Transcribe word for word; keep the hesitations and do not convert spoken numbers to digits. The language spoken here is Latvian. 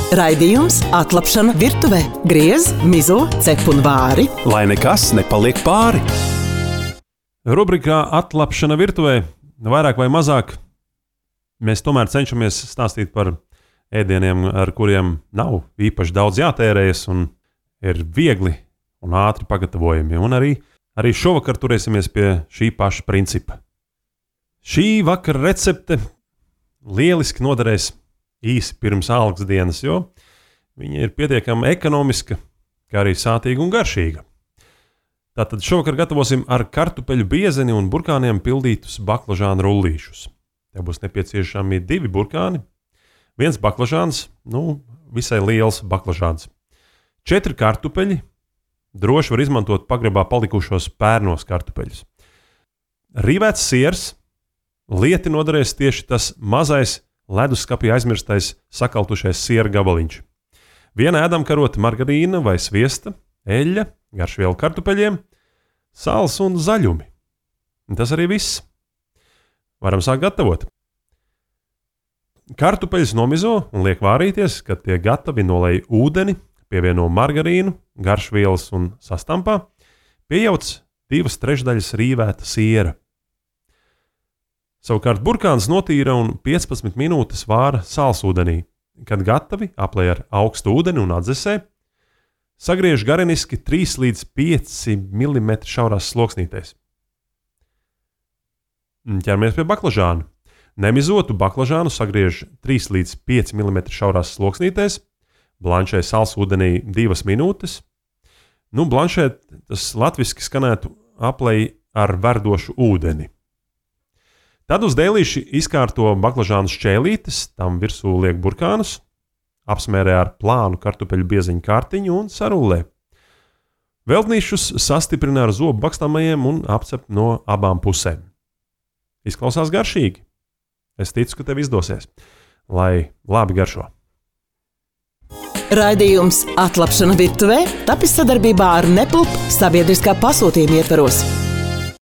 Raidījums Atlapšana virtuvē. Griez, mizo, cep un vāri. Lai nekas nepaliek pāri. Rubrikā Atlapšana virtuvē, vairāk vai mazāk, mēs tomēr cenšamies stāstīt par ēdieniem, ar kuriem nav īpaši daudz jātērējas un ir viegli un ātri pagatavojami. Un arī, arī šovakar turēsimies pie šī paša principa. Šī vakara recepte lieliski noderēs īsi pirms algas dienas, jo viņa ir pietiekami ekonomiska, kā arī sātīga un garšīga. Tātad šovakar gatavosim ar kartupeļu biezeni un burkāniem pildītus baklažānu rullīšus. Te būs nepieciešami divi burkāni, viens baklažāns, nu, visai liels baklažāns. Četri kartupeļi, droši var izmantot pagrabā palikušos pērnos kartupeļus. Rīvēts siers, lieti noderēs tieši tas mazais leduskapī aizmirstais sakaltušais siera gabaliņš. Viena ēdamkarota margarīna vai sviesta, eļļa, garšviela kartupeļiem, sāls un zaļumi. Un tas arī viss. Varam sākt gatavot. Kartupeļus nomizo un liek vārīties, kad tie gatavi nolej ūdeni, pievieno margarīnu, garšvielas un sastampā, piejauc divas trešdaļas rīvēta siera. Savukārt burkāns notīra un piecpadsmit minūtes vāra sālsūdenī. Kad gatavi, aplej ar augstu ūdeni un atdzesē, sagriež gareniski trīs līdz pieci milimetri šaurās sloksnītēs. Ķeramies pie baklažāna. Nemizotu baklažānu sagriež trīs līdz pieci milimetri šaurās sloksnītēs, blanšē sālsūdenī divas minūtes. Nu, blanšēt tas latviski skanētu aplej ar verdošu ūdeni. Tad uz dēlīši izkārto baklažānu šķēlītes, tam virsū liek burkānus, apsmērē ar plānu kartupeļu bieziņu kārtiņu un sarullē. Veltnīšus sastiprina ar zobu bakstāmajiem un apcep no abām pusēm. Izklausās garšīgi. Es ticu, ka tev izdosies. Lai labi garšo. Raidījums Atlapšana virtuvē tapis sadarbībā ar Nepulp sabiedriskā pasūtījuma ietvaros.